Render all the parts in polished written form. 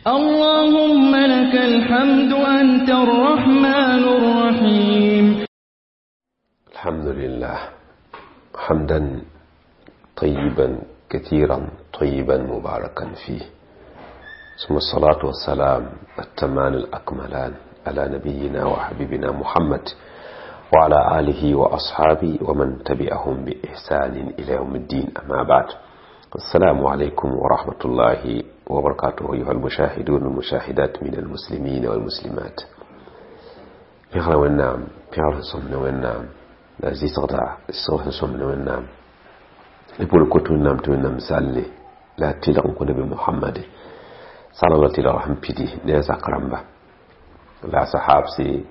اللهم لك الحمد أنت الرحمن الرحيم. الحمد لله حمدا طيبا كثيرا طيبا مباركا فيه، ثم الصلاة والسلام التمان الأكملان على نبينا وحبيبنا محمد وعلى آله وأصحابه ومن تبعهم بإحسان إلى يوم الدين. أما بعد، السلام عليكم ورحمة الله وبركاته أيها المشاهدون والمشاهدات من المسلمين والمسلمات. بيغلا ونام بيغلا صمنا ونام لا زي صغدا صغدا صمنا ونام يقول كنت ونام تونام سالي لا تلقن كنا بمحمد صلى الله عليه وسلم بيدي نيزا كرامبا لا صحابسي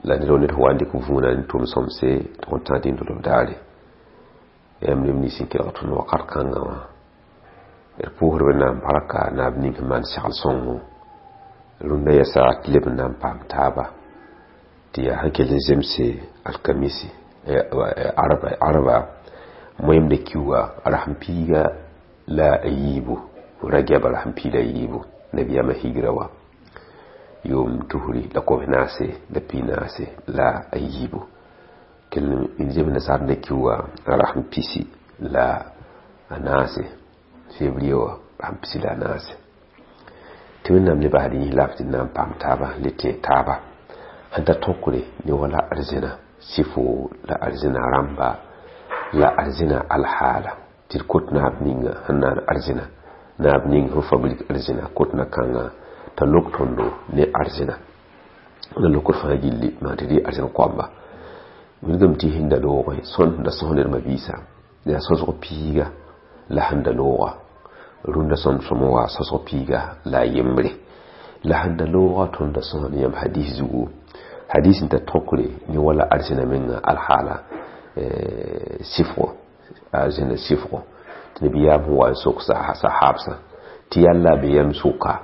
la ned ned wa n dɩk vũuna n tʋm sõmse tɩ n tã dĩn daare yãmb neb nins n kelg tõnd wakat kãngã wã d pʋʋsd Wẽnnaam barka naab ning sẽn maan segl sõngo rũndã yɛsa tɩ leb n na n paam taaba tɩ yaa sẽn kell n zemse alkamisi arba moẽmda kiuga rasem piiga la a yiibu ragɛba rasem piig la a yiibu nabiyaamã higra wa yʋʋm tusri la kobs naase la pi naase la a yiibu kell n zems nasaar da kiuga rasem pisi la a naase février wã rasem pisi la a naase tɩ Wẽnnaam le basd yĩs laaf tɩ d na n paam taaba le tẽeg taaba sẽn ta tõkre ne wala arzẽna sɩfo la arzẽna rãmba la arzẽna alhaala tɩ d kot naab ninga sẽn naan arzẽna naab ning sẽn fabrik arzẽna kotna kãngã t'a lok tõndo ne arzẽna la lokr fãa gilli maa tɩ dɩ arzẽn koamba wilgame tɩ sẽn da loogẽ sõnd sẽn da sõs ned mabiisã yaa sõsg piiga la sẽn da looga rũndã sõm sõm wa sõsg piiga la a yembre la sẽn da looga tõnd da sõs ne yãmb hadis zugu hadis n ta tõkre ne wala arzẽna menga alhaala sɩfgo arzẽna sɩfgo tɩ nabiyaam sẽn wa n sok sahabsã tɩ yalla be yam sʋka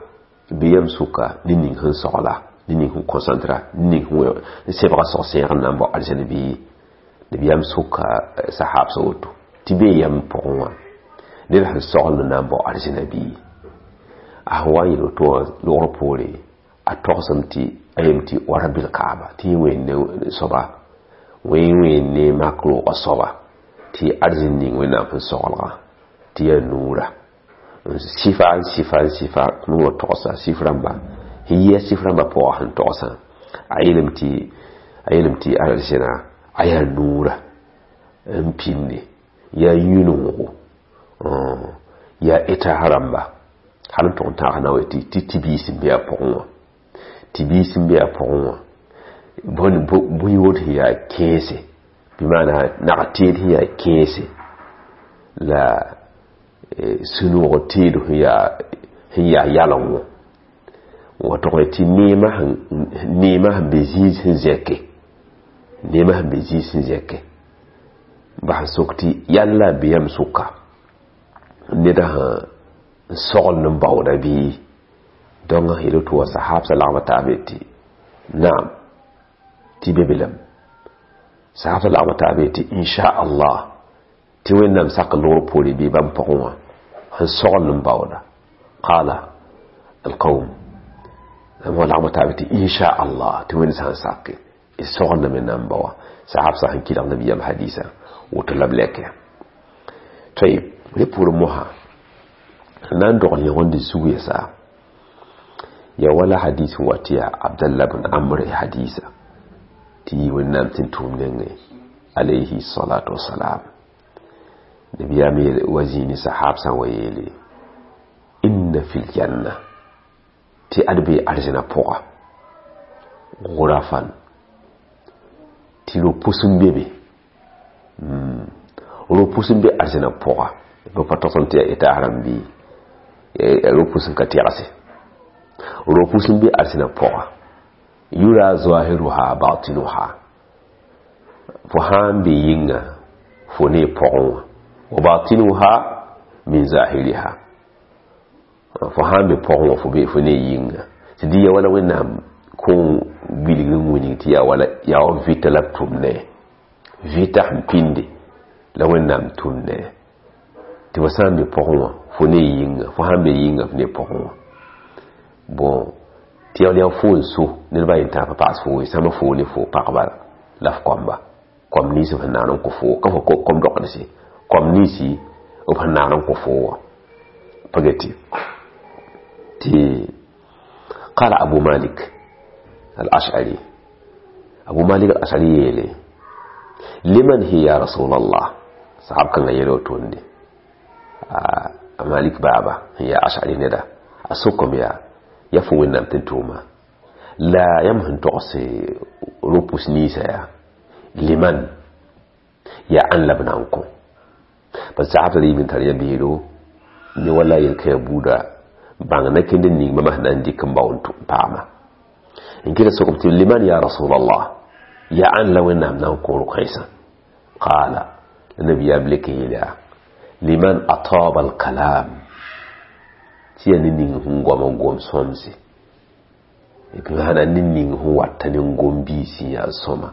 bɩ yam sʋka ne ning sẽn sogla ne ning sẽn concentra ne ning sẽn sebga sog-sẽeg n na n bao arzẽn bɩ nabiyaam soka sahabsã woto tɩ bee yam pʋgẽ wã ned sẽn sogl n na n bao arzẽna bɩ a sẽn wa n yel woto wã logr poore a togsem tɩ a yem tɩ wa rabil kaaba tɩ yẽ wẽnde soaba wẽn ne mak roogã soaba tɩ arzẽn ning Wẽnnaam sẽn soglgã tɩ yaa nuura sifa n sifa n sifa wa togsa sif rãmba sẽn yɩ sif rãmba pʋgã sẽn togsã a yeelame tɩ arzẽna a yaa nuura n pĩnde yaa yũnoogo yaa etaas rãmba hal n tʋg n tãag na wa tɩ tɩ-biis n be a pʋgẽ wã tɩ-biis n be a pʋgẽ wã bõe woto sẽn yaa kẽese bɩ maana nag teed sẽn yaa kẽese la sũ-noog teed sẽn yaa yalengo wa tʋg tɩ neemã sẽn be zĩig sẽn zɛke neemã sẽn be zĩig sẽn zɛke bas n sok tɩ yalla be yãmb sʋka neda sẽn sogl n baooda bɩ donc yel tɩ wa sahabsã lagma taab tɩ naam tɩ be be lame sahabsã lagma taab tɩ inchallah tɩ Wẽnnaam sak logr poore bɩ bãmb pʋgẽ wã sẽn sogl n baooda qala alqawm wa lagma taab tɩ inchallah tɩ Wẽnd sã n sake d soglda me na n baoa sahabsã sẽn kɩlg nabiyaam hadisa woto la b lɛke tayib rẽ pʋʋr mosã na n dogl yẽgende zug yɛsa ya wala hadis wa tɩ yaa Abdallah bn Amr hadisa tɩ yɩ Wẽnnaam tɩ n tʋʋm nengẽ alayhi salatu wasalam nabiyaam wa zĩini sahabsã wa yeele inna fil janna tɩ ad bee arzẽna pʋga gurafan tɩ ro-pʋs n be be ro-pʋs n be arzẽna pʋga b pa togsem tɩ yaa etaas rãmb bɩ ro-pʋs n ka tɛgse ro-pʋs n be arzẽna pʋga yura zahiruha batinuha fo sã n be yĩnga fo ne pʋgẽ wã wa batinuha min zahiriha fo sã n be pʋgẽ wã fo be fo ne yĩnga tɩ dɩ ya wala Wẽnnaam kõ wilg n wilg tɩ yaa wala yaa wa vɩta la b tʋm ne vɩta sẽn pĩnde la Wẽnnaam tʋm ne tɩ fo sã n be pʋgẽ wã fo ne yĩnga fo sã n be yĩnga fo ne pʋgẽ wã Bon tɩ yaa fo n so ned ba yen tãag pa paas foo ye sãmba foo ne fo pagba la f koamba kom nins b sẽn naan n kõ foo ka fo kom dogdse kom ninsi b sẽn naan n kõ foo wã pa get tɩ qala Abu Malik al-Ash'ari, Abu Malik al-Ash'ari yeele liman hi ya Rasulallah. Sahab kãngã yeel wotonde a Malik baaba sẽn yaa Ash'ari neda a sokame yaa ya fo Wẽnnaam tɩ n tʋʋma la yãmb sẽn togs ro-pʋs ninsã yaa liman yaa ãn la b na n kõ parce que sahab tara yib n tar ya beelo ne wala yel-kãyã buuda bãng na kẽnd n ning bãmba sẽn na n dɩk n bao n paama n kɩta sokame tɩ liman ya Rasulallah yaa ãn la Wẽnnaam na n kõ ro-kãensã. Qaala la nabiyaam lek n yeel yaa liman ataba alkalam tɩ yaa ne ning sẽn goam n gom sõmse b maana ne ning sẽn wata ne gom biis n yaa sõma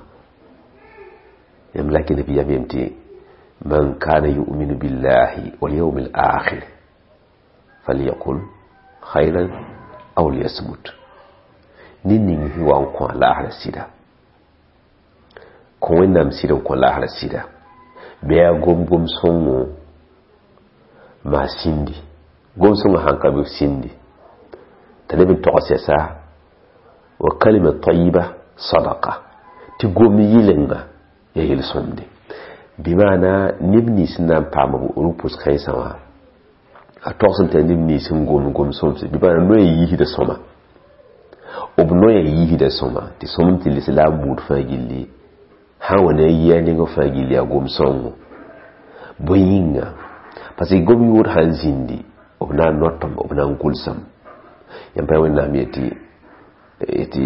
yãmb la kɩ nabiyaam yem tɩ man kana yu'minu billahi wal yawmi al akhir falyaqul khayran aw liyasmut. Ne ning sẽn wa n kõ a laasra sɩda kõ Wẽnnaam sɩd n kõ laasra sɩda bɩ yaa gom-gom sõngo maa sĩndi gom sõngã sãn ka be sĩndi t'a leb n togs yɛsa wa kalima tayiba sadaqa tɩ gom yɩlenga ya yel-sõmde bɩ maana neb nins n na n paam rʋpʋs kãensã wã a togsem tɩ neb nins n gom gom sõmse bɩ maana noya yiisda sõma b noya yiisda sõma tɩ sõmem tɩ lislaam buud fãa gilli sã n wa ne a yia nengã fãa gilli yaa gom sõngo bõe yĩnga parce que gom yʋʋd sãn zĩndi b na n notem b na n gʋlsem yãmb pa Wẽnnaam yetɩ tɩ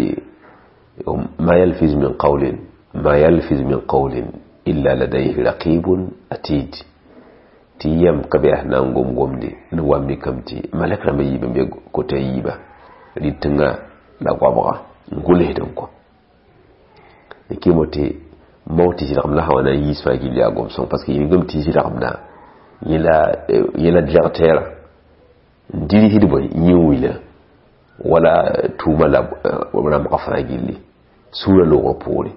ma yalfiz min qawlin ma yalfiz min qawlin illa ladayhi raqibun atid tɩ yãmb ka be yaa na n gom gomde ne wa mikame tɩ malɛk rãmbã yiib n be kota yiiba rɩtẽngã la goabga n gʋlsd n kɔ kɩmo tɩ mao tɩ zɩlgem la sã wa na n yiis fãa gill yaa gom sõng parce que yĩngame tɩ zɩlgemdã yẽ la directeur n dirsd bõe yẽ wila wala tʋʋma la rãmbga fãa gilli sũurã loogr poore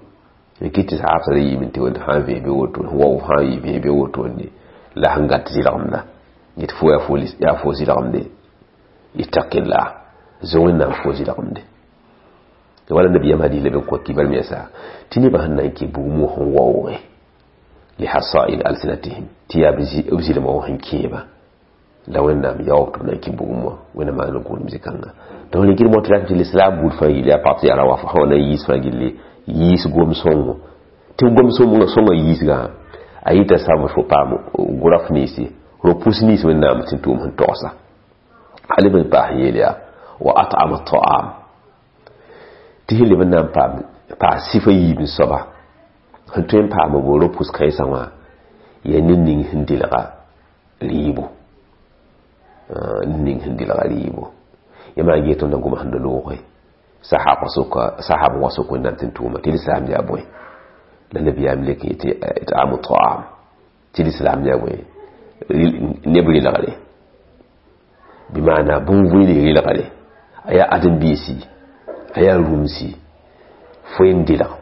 n kɩt tɩ saabsã ra yiime tɩ sã n vẽes be woto wao sã n yi vẽes be wotone la sẽn gat zɩlgemda yetɩ fo yaa fo zɩlgemde ittaqillah zo Wẽnnaam fo zɩlgemde wala nabiyam hadis la b kõ kibar me yɛsa tɩ nebã sẽn na n kɩ bugmo sẽn waooge lihasail alsinatihim tɩ yaa b zɩlmã wã sẽn kẽeba la Wẽnnaam yaoog tɩ b na n kẽ bugum wã Wẽnnaam maan n gʋʋlem zĩ-kãnga donc rẽ kɩd mot tɩ lislaam buud fãa gilli yaa pag tɩ yaa ra wa sã wa na n yiis fãa gilli yiis gom sõngo tɩ gom sõngã sõngã yiisgã a yita sãmb fo paam gʋraf ninsi ro-pʋs nins Wẽnnaam tɩ tʋʋm sẽn togsa a leb n paas n yeel yaa wa at'ama ta'am tɩ sẽn leb n na n paas sɩfa yiib n soaba sẽn tõe n paam b ro-pʋs kãensã wã yaa ned ning sẽn delga rɩɩbo ned ning sẽn delga rɩɩbo yãmb n get tõnd n goma sẽn da looge sahab wã sok Wẽnnaam tɩ n tʋʋma tɩ lislaam yaa bõe la nabiyaam lek tɩ it'amu ta'am tɩ lislaam yaa bõe neb relgre bɩ maana bũn-vɩɩl relgre a yaa ãdem-biisi a yaa rũmsi fo n delg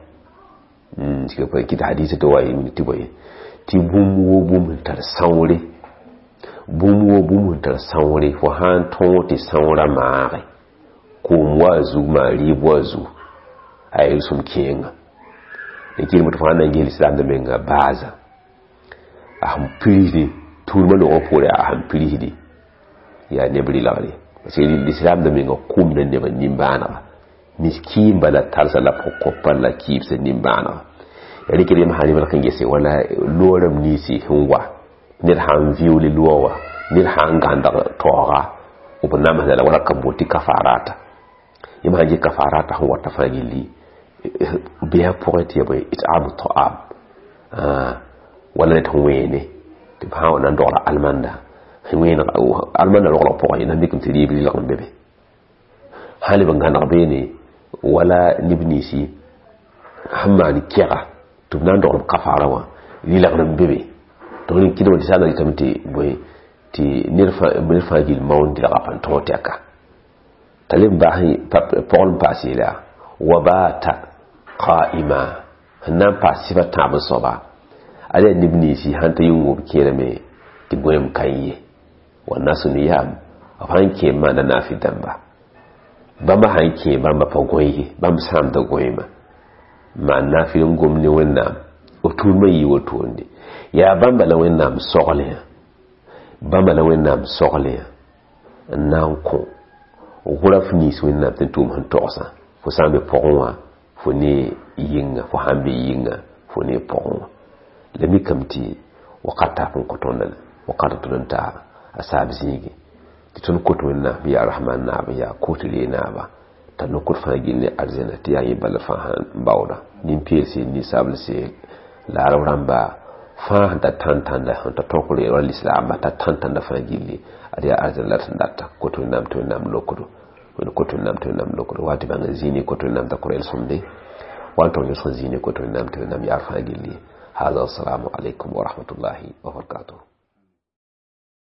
kɩt hadisa tɩ wa tɩ bõe tɩ bũmb wo bũmb sẽn tar sãoore bũmb wo bũmb sẽn tar sãoore fo sã n tõog tɩ sãoorã maage koom wa a zug maa rɩɩb wa a zug a yel-sõm kẽenga kɩrem tɩ fo sãn na n ges lislaamdã menga baaza a sẽn pirsdi tũudmã loogã poore a sẽn pirsdi yaa neb relgre parce que lislaamdã menga kʋmda nebã nimbãanega miskiin bala tarsa la kopa la kibsa nimbãanega ya rɩk rem sã rem n gese wala loorame ninsi sẽn wa ned sãn viʋʋle loa wã ned sãn gãndg taooga b namsda la wala ka bot tɩ kafarata yãmb sãn ges kafarata sẽn wata fãa gilli bɩa pʋgẽ tɩ ya bõe it'amu ta'am wala ned sẽn wẽene tɩ b sã n wa na n dogla almanda sẽn wẽen almanda roglg pʋgẽ na mikame tɩ rɩɩb rɩlg n be be sã leb n gãneg beene wala neb ninsi sẽn maan kɛga tɩ b na n dogl b kafara wã rɩlgr n be be donc rẽ kɩdme tɩ sã n na rɩtame tɩ bõe tɩ ned fãa gill maoond delga pa n tõog tɛka T'a leb n bas pɔgl n paas yeela wa bata qa'ima sẽn na n paas sɩfa tãab n soaba ala yaa neb ninsi sãn ta yĩng wʋb kẽerame tɩ gõem kan ye. Wa nasu niyam b sãn kẽ n maanda naafɩ dãmba bãmba sãn kẽ bãmba pa gõe ye bãmb sãamda gõeema maan naafɩl n gom ne wẽnnaam b tʋʋmã yɩ wotoonde yaa bãmba la wẽnnaam soglẽ bãmba la wẽnnaam soglẽ n na n kõ wʋra f nins wẽnnaam tɩ n tʋʋm sẽn togsã fo sã n be pʋgẽ wã fo ne yɩnga fo sãn be yɩnga fo ne pʋgẽ wã la mikame tɩ wakat taap n kõ tõnd la wakat tõnd n ta a saab zĩige tɩ tõnd kot wẽnnaam yaa rahman naab n yaa kot ree naaba t'a nokod fãa gill ne arzɛna tɩ yaa yẽ bala fãa sãn baooda nin-peelse ninsablse la arab rãmba fãa sẽn tar tãn-tãnda sẽn ta tõk reeg wa lislaamba tar tãn-tãnda fãa gilli ad yaa arzɛna la sẽn data kot wẽnnaam tɩ wẽnnaam lokdo wẽnd kot wẽnnaam tɩ wẽnnaam lokdo wa tɩ bãng n zĩini kot wẽnnaam t'a kʋ sõmde wa n tog yõsg n zĩini kot wẽnnaam tɩ wẽnnaam yaar fãa gilli. Hada, assalamu alaikum wa rahmatullahi wa barakatuh.